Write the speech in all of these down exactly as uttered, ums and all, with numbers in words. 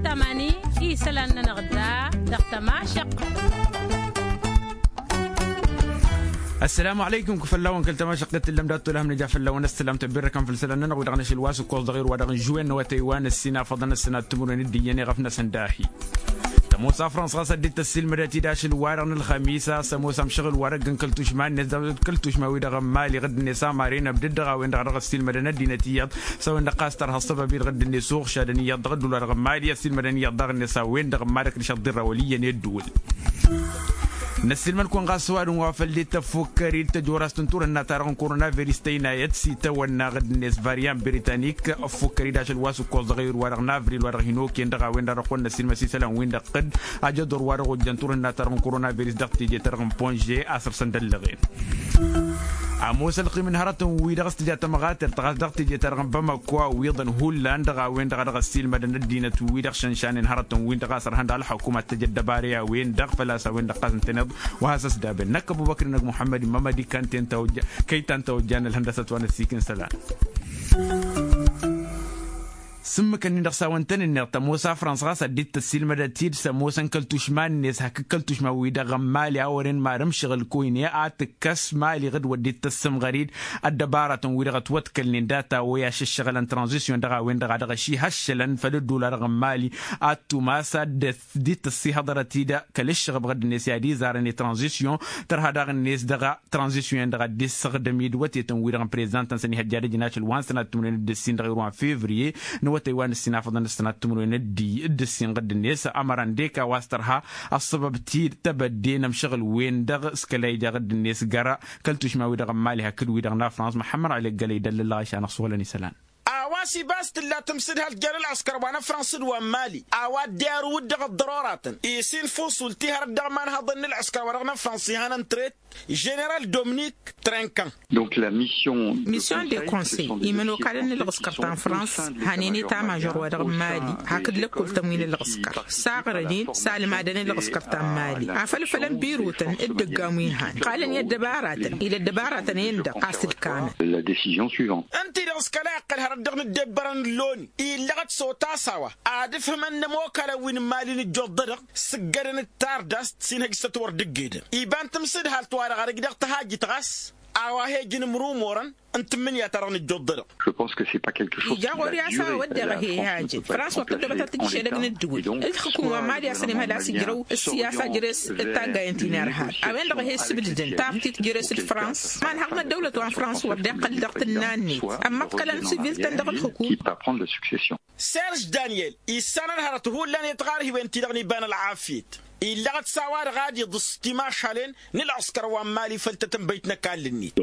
Tamani isălan-nănăɣ da dăɣ-tămašăq. Ăssălamu alăykum kăfăllawăn kăl-tămašăq d-tǝllăm dat-tolăhăm nǝja făllawăn ăssălam tăbbirrăkăn făll-isălan-nănăɣ wi-dăɣ n-ašăl wa s-ǝkkoẓ dăɣ-irwa dăɣ-n žuwen n-awătay wa n-ăssin afăḍăn ăssinat timǝrwen d-iyyăn iɣăf-năsăn dahi. Tămoos a frans ɣas ad-dd-tăssilmădăt-dd ašăl-wa-dăɣ n-ălxămisa s-ămoos amšăɣǝl-wa-dăɣ n-kăl-tušma-net d-kăl-tušma-wi-dăɣ n-mali ɣǝdd-net amaren ăbdăd dăɣ-a-wen-dăɣ a dăɣ-ăssilmădăn ăddinăt iyyăḍ s-a-wen-dăɣ ɣas tărha ăṣṣăbab-i-dăɣ dd-net uɣšadăn iyyăḍ dăɣ-ădduul-wa-dăɣ n-mali ăssilmădăn iyyăḍ daɣ-net a-wen-dăɣ n-madăk d-išăḍḍirra wăl' iyyăn i-ădduul. Năssilmăd-kăwăn ɣas s-ăwadǝm wa făl dd-tăffukkăr-dd tăjorast n-turhǝnna-ta-dăɣ n-koronaviris tăynayăt s-itawănna ɣǝdd-net varyan britanik ăffukkăr-dd ašăl wa s-ǝkkoẓ dăɣ-ewǝr-wa-dăɣ n-avril wa-dăɣ hin-okăyăn dăɣ-a-wen-dăɣ a dăɣ-kăwăn-năssilmăs isălan-win-dăɣ tădd ajăḍor wa dăɣ-ojjăn turhǝnna-ta-dăɣ n-koronaviris dăɣ-teje-ta-dăɣ n-ponže a săr-săn d-ăllăɣen. Ămoos ălqim n-hărătăn-wi-dăɣ s-tǝja tămɣatert ɣas dăɣ-teje-ta-dăɣ n-bamăko a wi iḍăn hullan dăɣ-a-wen-dăɣ a dăɣ-ăssiilmădăn ăddinăt-wi-dăɣ šănšanen hărătăn-win-dăɣ a sărhăn d-ălxăkum ad-t-ăj ăddăbare a-wen-dăɣ făl-a-s a-wen-dăɣ ɣas ǝntăneḍ wa has-ăsdabăn năkk ăbubăkr-năg muḥămmăd n-mămădi kăytan ta ojjan ălhăndăsăt wa n-ăssiik n-isălan. S-ǝmmǝk-ǝnnin-dăɣ s-a-wăn tăn-ǝnneḍ tămoos a frăns ɣas ad-dd-tăssiilmădăt-dd s-ămoosăn kăl-tušma-net hakd kăl-tušma-wi-dăɣ n-mali a wăren marăm šăɣǝl koyne a tǝkkăs mali ɣǝd wăr dd-tăssǝmɣăr-dd ăddăbaratăn-wi-dăɣ ătwăḍkălnen data-wa i-ašăššăɣǝlăn tranzisyon dăɣ-a-wen-dăɣ a dăɣ-ašihăššălăn făll-ădduul-wa-dăɣ n-mali. Ad-tumas ad-dd-tăssihăḍărăt-dd kăl-ǝššăɣǝb ɣǝdd-net i-ad-izarăn i-tranzisyon tărha daɣ-net dăɣ-tranzisyon-en-dăɣ ad-dd-issăɣdăm-dd wătetăn-wi-dăɣ n-prezidantăn-săn ihăjjadăj n-ašăl wa n-sănat timǝrwen d-ǝssin dăɣ-irwan fevriye n-awătay wa n-ǝssin afăḍăn d-sănat timǝrwen d-ǝssin ɣǝdd-net. Ămăran d-eka wa s-tărha ăṣṣăbăb-t-dd tebădde n-amšăɣǝl-wen-dăɣ s-kăla ija ɣǝdd-net găra kăl-tušma-wi-dăɣ n-mali hakd wi-dăɣ n-afrans muḥămmăd ălleggălăy d-ăllălăɣ ašan ăṣṣuhălăn isălan. A-wa s-ibas tǝlla tǝmsǝdhalt jer-ălɣǝskăr wa n-afrans d-wa n-mali a-wa dd-iruwǝd dăɣ-ăḍḍăroratăn isinfus wăl-tihărăt dăɣ-imanhăḍăn n-ălɣǝskăr wa dăɣ-năfrans ihănăn tret ženeral domnik trenkan. Mission de konsey imănokalăn n-ălɣǝskăr ta n-frans hanen i-tamažor wa dăɣ-mali hakd lăkkul-tăn wi n-ălɣǝskăr saɣrănen s-almadăn ălɣǝskăr ta n-mali afăl fălăn birutăn d-ǝggam wi n-han qalăn i-ăddăbaratăn ila ăddăbaratăn-en-dăɣ a-s ǝlkamăn. Ǝnta-i-dăɣ s-kăla iqqăl hărăt dăɣ-inǝddebbărăn n-loni illăɣăt s-otas a-wa ad-ǝfhǝmăn inămokalăn wi n-imali n-ǝjjuḍ-dăɣ s-ǝggădăn d-tardast s-inhăj s-ătwărdǝggedăn iba n-tamsǝdhalt-wa-dăɣ arăj dăɣ-tăhajjit ɣas a-wa he-ǝjǝn imrumorăn n-tǝmmǝnǝya-ta-dăɣ n-ǝjjuḍ-dăɣ. Ija ɣur-i a-s a-wa wădden ăhehajăn frans wăr tăddobătăt d-išedăgg n-ǝddǝwǝl ǝlxǝkum wa n-mali a-s ănimhăl a-s ǝjrăw ǝssiyasa jere-s d-taggayen ti n-irhab a-wen-dăɣ ăhesǝbdǝdăn taftit jere-s d-frans. Imanhăḍ n-ăddăwlăt wa n-frans wăr dd-iqqăl dăɣ-tǝnna-net ămmăḍkălăn sivil-tăn dăɣ-ǝlxǝkum. Serž daniel issanăn hărăt hullan i-tiɣarhiwen-ti-dăɣ n-iba n-ălɣafyăt illăɣăt s-a-wa-dăɣ ad-iḍǝs timašalen n-ălɣǝskăr wa n-mali făll-tătănbăyt n-ăkall-net.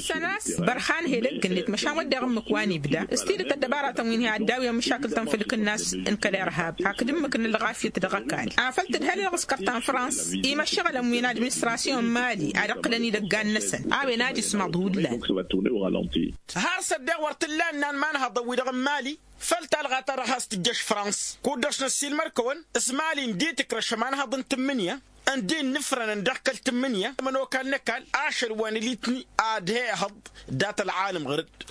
Săn-a-s bărhan hedăgg-net măšan wădden ǝmmǝk wa n-ibda s-tidǝt ăddăbaratăn wi n-hi-ad-dawǝyăn măšakǝl-tăn făll-kǝnnas n-kăl-irhab hakd ǝmmǝk n-ălɣafyăt dăɣ-ăkall afăl tǝdhăl ălɣǝskăr ta n-frans i-imăššăɣǝlăn wi n-administrasyon n-mali ad-ǝqqǝlăn idăggan-năsăn a-wen ad-ismaḍ hullan. Har s-ăddeɣ wăr t-illa ǝnnan imanhăḍăn-wi-dăɣ n-mali făll-talɣa-ta-dăɣ has-tǝjjăš frans kud-dăɣ s-năssiilmăr-kăwăn s-mali ǝndi tǝkrăš ămanhăḍ n-tǝmmǝnǝya ǝndi ǝnnǝfrănăn dăɣ-kăl-tǝmmǝnǝya ămănokal n-ăkall ašăl wa n-ilitni ad-he-ehăḍ. Dat-ălɣalăm ɣăr-dd.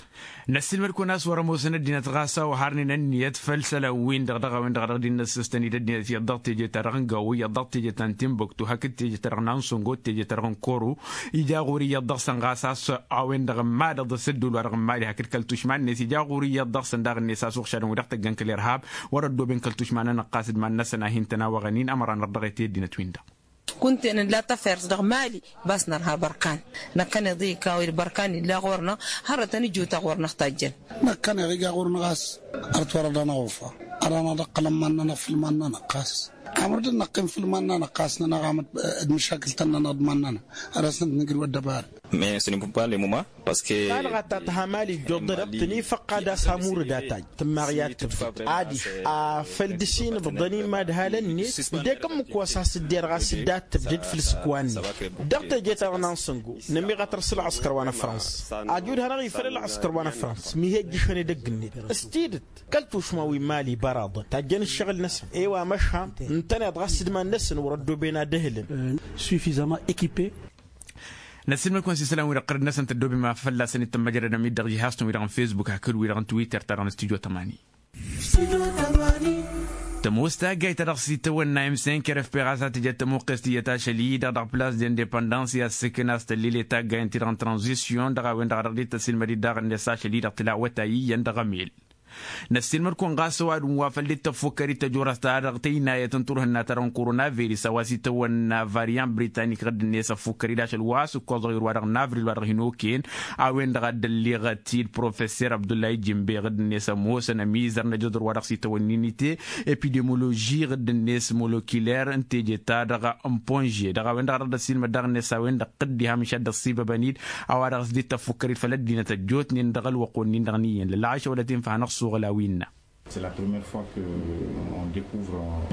Năssiilmăd-kăwăn a-s wăr-ămoosăn ăddinăt ɣas a-wa harnen ănniyăt făll-isălan-win-dăɣ dăɣ-a-wen-dăɣ a dăɣ-dd-innăssăstăn-dd ăddinăt iyyăḍ dăɣ-teje-ta-dăɣ n-gawo iyyăḍ dăɣ-teje ta n-tinbuktu hakd teje-ta-dăɣ n-ansongo d-teje-ta-dăɣ n-koro. Ija ɣur-i iyyăḍ dăɣ-săn ɣas a-s a-wen-dăɣ n-madăḍ s-ădduul-wa-dăɣ n-mali hakd kăl-tušma-net ija ɣur-i iyyăḍ dăɣ-săn daɣ-net a-s uɣšadăn wi dăɣ-tăggăn kăl-irhab wăr-ăddoben kăl-tušma-nănăɣ ɣas d-iman-năsăn a hin-tăn-awăɣăn-in ămăra nărdăɣet i-ăddinăt-win-dăɣ. Kunta-en ǝlla tafert dăɣ-mali bas nărha bărkan. Năkkăneḍ-i ikaw-dd bărkan illa ɣur-năɣ hărăt anǝjjutăɣ wăr năɣ-tajjăn. Năkkăneḍ iga ɣur-năɣ a-s ărăt wăr-ădănăɣ ufa ărănăɣ d-ăqqălăn iman-nănăɣ făll-iman-nănăɣ ɣas. Amăr dd-năqqim făll-iman-nănăɣ ɣas nănăɣ-am d-măšakǝl-tăn-nănăɣ d-iman-nănăɣ. Ărăsnăt nǝjrǝw ăddăbară. Talɣa ta tǝha mali ǝjjuḍ-dăɣ tăn-ifăqqa d-asamur d-ataj tǝmmaɣ i-ad-tǝbdăd adiš afăl dăr-s inǝbḍăn imadhalăn-net. Ǝdek ǝmmǝk wa s-has-ǝdder ɣas dd-ad-tǝbdăd făll-isǝkwan-net dăɣ-teje-ta-dăɣ n-ansăngo. Nămiɣătăr s-ălɣăskăr wa n-afrăns ajud hanăɣ-ifăl ălɣăskăr wa n-afrăns mi he-ǝjjǝšăn edăgg-net. S-tidǝt kăl-tušma wi n-mali băraḍăn tajjăn ǝššăɣǝl-năsăn i-wa măšan ǝntăneḍ ɣas d-iman-năsăn wăr-ăddoben ad-ăhǝlăn. Sufizama ekipe. Năssiilmăd-kăwăn s-isălan-wi-dăɣ ɣărăd-năsăn tăddoobem a fălla-săn itămmăjrădăm-dd dăɣ-jihaz-tăn-wi-dăɣ n-fesbuk hakd wi-dăɣ n-twitter-ta-dăɣ n-studyo tămani. Tămoos taggayt-ta-dăɣ s-itawănna m cinq r f p ɣas a tǝjăt tămuqqes tiyyăt ašăl-i-dăɣ dăɣ-plas d-indepăndăns i-ad-sǝknas tăllil i-taggay n-ti-dăɣ n-tranzisyon dăɣ-a-wen-dăɣ a dăɣ-dd-tăsilmăd-dd daɣ-net ašăl-i-dăɣ tǝla awătay iyyăn dăɣ-emel. Năssiilmăd-kăwăn ɣas ăwadǝm wa făl dd-tăffukkăr-dd tăjorăst-ta-dăɣ tăynayăt n-turhǝnna-ta-dăɣ n-koronavirus a-wa s-itawănna varian britanik ɣǝdd-net ăffukkăr-dd ašăl wa s-ǝkkoẓăɣ i-ăruwa-dăɣ n-avril wa dăɣ-hin-okăyăn. A-wen-dăɣ a dd-ălleɣăt-dd professer abdullahi jimbe ɣǝdd-net ămoosăn ămizăr n-ejăẓ ăruwa-dăɣ s-itawănna inite epidemoloži ɣǝdd-net molokiler n-teje-ta-dăɣ n-ponže dăɣ-a-wen-dăɣ a dăɣ-dd-ăssiilmăd daɣ-net s-a-wen-dăɣ dd-iha mǝšad d-ăṣṣibăbăn-dd. A-wa dăɣ-s dd-tăffukkăr-dd făll-ăddinăt ăjjootnen dăɣ-ălwăqq-wen-in-dăɣ n-iyyăn lălɣayš a wălăt-in făhănăɣ s-oɣǝlaw innă.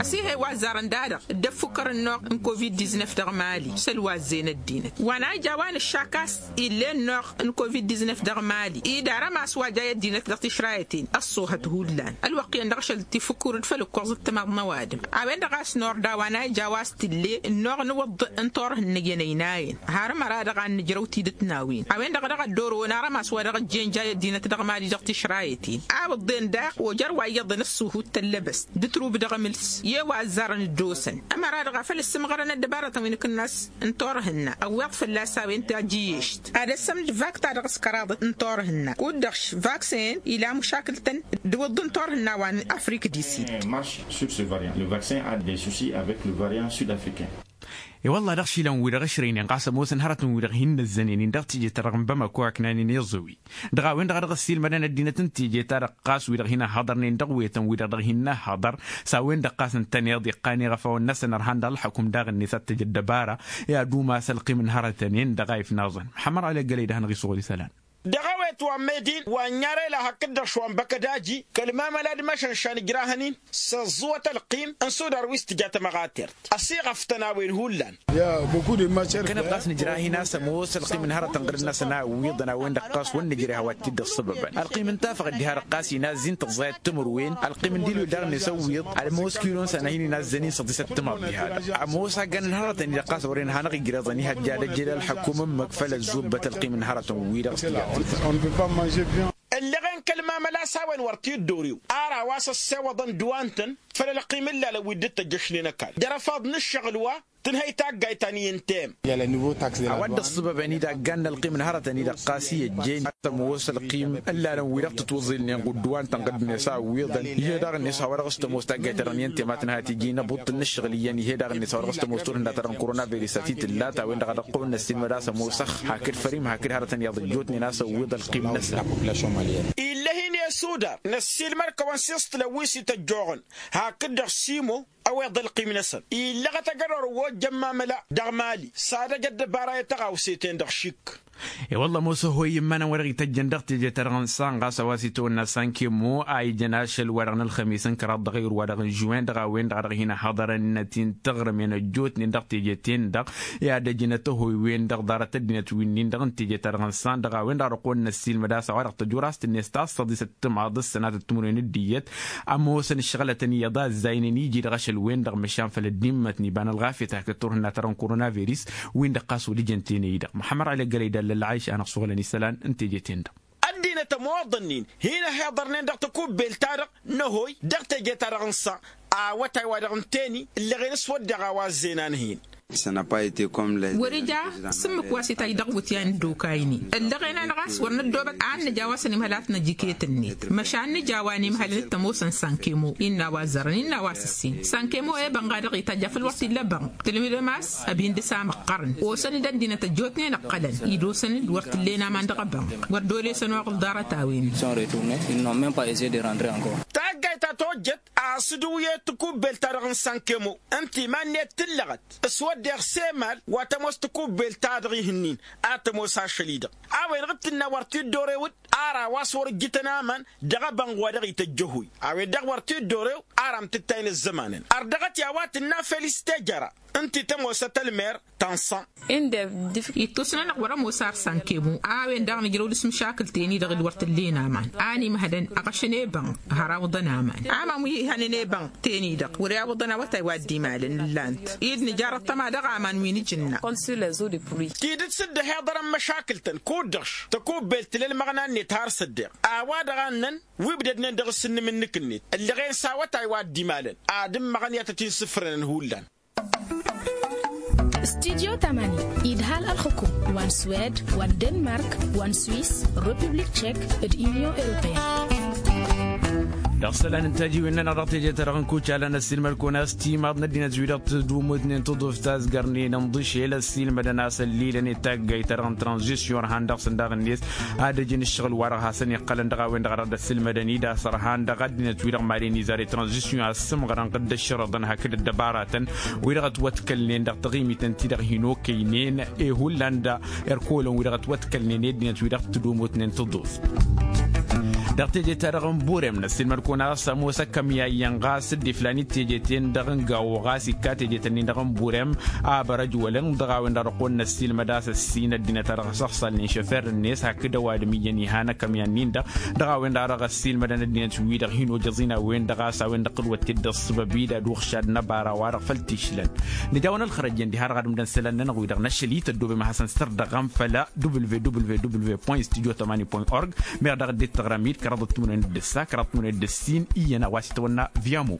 Ăsihăy wa ăzzarăn da-dăɣ dd-ăffukkărăn noɣ n-covid-diznef dăɣ-mali s-ălwazzen ăddinăt wa n-a ija a-wa nǝššak a-s ill'-en noɣ n-covid-diznef dăɣ-mali idarăm a-s wa ja i-ăddinăt dăɣ-tišrayăten ăṣṣoohăt hullan ălwăqq iyyăn dăɣ-ašăl tifukkur-dd făll-ǝkkoẓ d-timaḍ n-ăwadǝm. A-wen-dăɣ a-s norda wa n-a ija a-wa s-tǝlle n-noɣ n-iwǝḍḍǝ n-turhǝnna iyyăn ăynayăn harăm ăra dăɣ-a n-nǝjrăw tidǝt n-a-wen a-wen-dăɣ a dăɣ-ăddoro n-arăm a-s wa dăɣ-ăjjeen ja i-ăddinăt dăɣ-mali dăɣ-tišrayăten a wǝḍḍen daɣ ojăr wa iyyăḍăn ǝssuhut tăllăbăst d-turub dăɣ-emǝls i-wa ăzzarăn dd-osăn ămăra dăɣ-a făl ǝssǝmɣărăn ăddăbarătăn wi n-akǝnnas n-turhǝnna ăwweḍ fălla-s a-wen tajǝyyešt ad-ăssămd vak-ta-dăɣ s-kăraḍăt n-turhǝnna kud-dăɣ vaksen ila mušakǝl-tăn d-iwǝḍḍǝn turhǝnna wa n-afrik di-sid. Marš sur ce variant le vaksen a des susis avec le variant sud africain. I-wălla dăɣ-išilan-wi-dăɣ ǝšrăynen ɣas ămoosăn hărătăn-wi-dăɣ hin-năzzănen-in dăɣ-teje-ta-dăɣ n-bamako aknanen iẓǝwi dăɣ-a-wen-dăɣ a dăɣ-ăssiilmădăn ăddinăt n-teje-ta-dăɣ ɣas wi-dăɣ hin-ăhhăḍărnen dăɣ-wetăn-wi-dăɣ dăɣ-hin-năhhăḍăr s-a-wen-dăɣ ɣas ǝntăneḍ iqqan iɣăfawăn-năsăn ărhan dăɣ-ălxăkum daɣ-net ad-t-ăj ăddăbara. I-ad-umas ălqim n-hărătăn-en-dăɣ a ifnaẓăn măxămmăr ălăggălăy d-ad-hanăɣ-isɣul isălan. Dăɣ-awet wa n-medi wa n-yarăy la hakd-dăɣ šwa n-băkădaji kăl-mamăla d-măšan šanǝjrahăn-in s-ăẓẓuwăt ălqim n-sudar wi s-tǝja tămăɣatert ăsiɣăftăn a-wen hullan. Kănăt ɣas nǝjrah-in a-s ămoos ălqim n-hărătăn ɣǝr-năsăn a ǝwwiḍăn a-wen-dăɣ ɣas wăr nǝjreh a-wa t-dd-ăṣṣăbăbăn ălqim n-tafăɣ dd-iha-dăɣ ɣas inazzin tǝẓẓayăt timǝrwen ălqim n-dilwil daɣ-net ăwwiḍ ămoos kilo n-sănăh-in inazzăn-in săḍisăt timaḍ diha-dăɣ ămoos aggan n-hărătăn-i-dăɣ ɣas wăren hanăɣ-ijreḍăn ihăjja d-ăjjel ălxăkum ǝmmǝk făll-ăzzubbăt ălqim n-hărătăn-wi-dăɣ s-tǝjăt. Ǝllăɣen kăl-mamăla s-a-wen wăr t-dd-orew ara wa s-ăssewăḍăn d-wa-nǝtăn făll-ălqim ǝllalăn wi dd-tăjjăšnen ăkall d-erăfaḍ n-ǝššăɣǝl wa tǝnhăy taggayt ta n-iyyăn tem. A-wa dd-ăṣṣăbăbăn-dd aggan n-ălqim n-hărătăn-i-dăɣ ɣas i-ăjjeen ad-tămoos ălqim ǝllalăn wi-dăɣ tǝtwăẓilnen ɣud d-wa-nǝtăn ɣǝddǝnet a ǝwwiḍăn. Ih'-e daɣ-net a-wa dăɣ-s tămoos taggayt-ta-dăɣ n-iyyăn temat n-hat iji inăbuṭṭǝl n-ǝššăɣǝl iyyăn ih'-e daɣ-net a-wa dăɣ-s tămoos turhǝnna-ta-dăɣ n-korona virus a t-tǝllat a-wen-dăɣ a dăɣ-kăwăn-năssiilmăd a-s ămoosăx hakd fărim hakd hărătăn iyyăḍ ăjjootnen a-s ăwwiḍ ălqim-năsăn. Illa hin-e sudar năssiilmăd-kăwăn s-iṣṭǝlăn wi s-ităjjoɣăn hakd-dăɣ simo ăweḍ ălqim-năsăn illăɣăt ajădor wa ojjăn mamăla dăɣ-mali s-ad-ăj ăddăbara i-tăɣawse-ten-dăɣ šik. I-wălla ămoos ăhoy immănăn wa dăɣ-ităjjăn dăɣ-teje-ta-dăɣ n-san ɣas a-wa s-itawănna sankemo a ijăn ašăl wa dăɣ-nălxămis n-kăraḍ dăɣ-ayǝr wa dăɣ-n žuwen dăɣ-a-wen-dăɣ a dăɣ-hin-ăhhăḍărăn inăt-in-tăɣrǝmen ăjjootnen dăɣ-teje-ten-dăɣ. I-ad-ăjnăt ăhoy-wen-dăɣ ḍarăt ăddinăt wi-nin-dăɣ n-teje-ta-dăɣ n-san dăɣ-a-wen-dăɣ a dăɣ-kăwăn-năssiilmăd a-s a-wa dăɣ-tăjuraẓt-net ta s-săḍisăt timaḍ d-sănatăt timǝrwen d-iyyăt. Ămoosăn ǝššăɣǝlătăn iyyăḍ a ǝzzaynen iji-dăɣ ašăl-wen-dăɣ măšan făll-ăddimmăt n-iba n-ălɣafyăt hakd turhǝnna-ta-dăɣ n-korona virus. Win-dăɣ ɣas wăr ijăn tenăy-i-dăɣ măxămmăr ălăggălăy d-allăl ɣayš a hanăɣ-suɣǝlăn isălan n-teje-ten-dăɣ. Ăddinăt ămoḍăn-in hin-ăhiḍărnen dăɣ-tăkubbelt-ta-dăɣ n-ăhoy dăɣ-teje-ta-dăɣ n-sa awătay wa dăɣ-ǝnten-i ǝllăɣen s-wădden a-wa ăzzeynan-hin. Wăr-ija s-ǝmmǝk wa s-itaj dăɣ-iwǝtyan d-okaynen ǝllăɣen-anăɣ a-s wăr năddoobăt a ănnăj a-wa s-ănimhăl a tnăj iket-net măšan nǝja wa n-imhălăn d-tămoosăn sankemo innă a-wa ăzzărăn innă a-wa s-ǝssin sankemo i-bănɣ a dăɣ-itajj a făl wăr t-illa bănɣ tǝlmǝdăm a-s ăbin dăɣ-s a măqqărăn osăn-dd ăddinăt ăjjootnen ǝqqălăn-dd osăn-dd wăr t-ǝllen aman dăɣ-abănɣ wăr dd-olesăn oɣǝl ḍarăt-a-wen. Taggayt ta tojjăt a-s dd-uyyăyăt tikubbelt-ta-dăɣ n-sankemo ǝnta iman-net tǝllăɣăt s-wădden s-emal wa tămoos tikubbelt-ta-dăɣ ihǝnnin ad-tămoos ašăl-i-dăɣ. A-wen-dăɣ d-tǝnna wăr t-dd-orew d-ara wa s-wăr-ǝjjǝtăn aman dăɣ-abănɣ wa dăɣ-ităjj ăhoy a-wen-dăɣ wăr t-dd-orew. Ara amtǝttay n-ăzzămanăn ărdăɣăt i-a-wa tǝnna felis tejăra ǝnta i-tămoosăt ălmer tănṣăn. Ǝndăr dǝfk ittus-nănăɣ wăr-ămoos arsăn kebun a-wen daɣ nǝjrăw dăɣ-s măšakǝl-ten-i-dăɣ d-wăr t-ǝllen aman a n-imhădăn ăɣšăn i-bănk har awǝḍăn aman. Aman wi ihănen i-bănk-ten-i-dăɣ wăr-e awǝḍăn awătay wa dd-imalăn ǝllan-t id nǝjarrăḍ tăma dăɣ-aman wi nǝjǝnna. Tidǝt s-dd-ăhiḍărăn măšakǝl-tăn kud-dăɣ-š tăkubbelt tǝla ălmăɣna-net har s-ăddeɣ a-wa-dăɣ a ǝnnăn wi ǝbdădnen dăɣ-s ǝnnǝm-nǝk-net ǝllăɣen s-awătay wa dd-imalăn ad-ǝmmăɣăn i-ad-tăt-in-sǝfrănăn hullan. Studyo tamani idhal ălxukum wa n-swed wa n-denmark wa n-swis, republik tšek, d-inyon europeyăn. Dăɣ-isălan n-tajiwen-nănăɣ dăɣ-teje-ta-dăɣ n-kucalăn ăssiilmăd-kăwăn a-s timaḍ n-ăddinăt-wi-dăɣ tǝdumutnen tǝḍuft tazgărnen ǝnḍǝšel ăssiilmădăn a-s ăllilăn i-taggayt-ta-dăɣ n-tranzisyon ărhan dăɣ-săn daɣ-net ad-ăjǝn ǝššăɣǝl-wa-dăɣ hasăn-iqqălăn dăɣ-a-wen-dăɣ a dăɣ-dd-ăssiilmădăn-dd a-s ărhan dăɣ-ăddinăt-wi-dăɣ mad-en izar i-tranzisyon a ǝssǝmɣărăn ɣǝdd ăššărăḍăn hakd ăddăbaratăn wi-dăɣ ătwătkălnen dăɣ-taɣimit ǝnta-i-dăɣ hin-okăynen i-hullan d-erkolăn wi-dăɣ ătwătkălnen i-ăddinăt-wi-dăɣ tǝdumutnen tǝḍuft. Dăɣ-teje-ta-dăɣ n-burem năssiilmăd-kăwăn a-s ămoos akămya iyyăn ɣas dd-iflan i-teje-ten-dăɣ n-gawo ɣas ikka teje-tăn-in-dăɣ n-burem. Abărăj wălăn dăɣ-a-wen-dăɣ dăɣ-kăwăn năssiilmăd a-s ăssin ăddinăt-a-dăɣ s-ăɣsălnen šăfer-net hakd ăwadǝm iyyăn ihan akămya-nin-dăɣ. Dăɣ-a-wen-dăɣ a dăɣ-ăssiilmădăn ăddinăt-wi-dăɣ hin-ojăẓ-in a-wen-dăɣ a-s a-wen-dăɣ tǝlwăt-dd ăṣṣăbăb-i d-ad-uɣšad n-ăbara wa-dăɣ făll-tišlăn. Nǝja-wăn ălxărăjăn diha-dăɣ ad-ǝmdăn isălan-nănăɣ-wi-dăɣ n-ašăl-i tăddoobem ad-hasăn-sărdăɣăm făll-www point studio tamani point org. Meɣ daɣ dd-tăɣrăm-dd kăraḍăt timǝrwen d-ǝssa kăraḍăt timǝrwen d-ǝssin iyyăn a-wa s-itwănna viamo.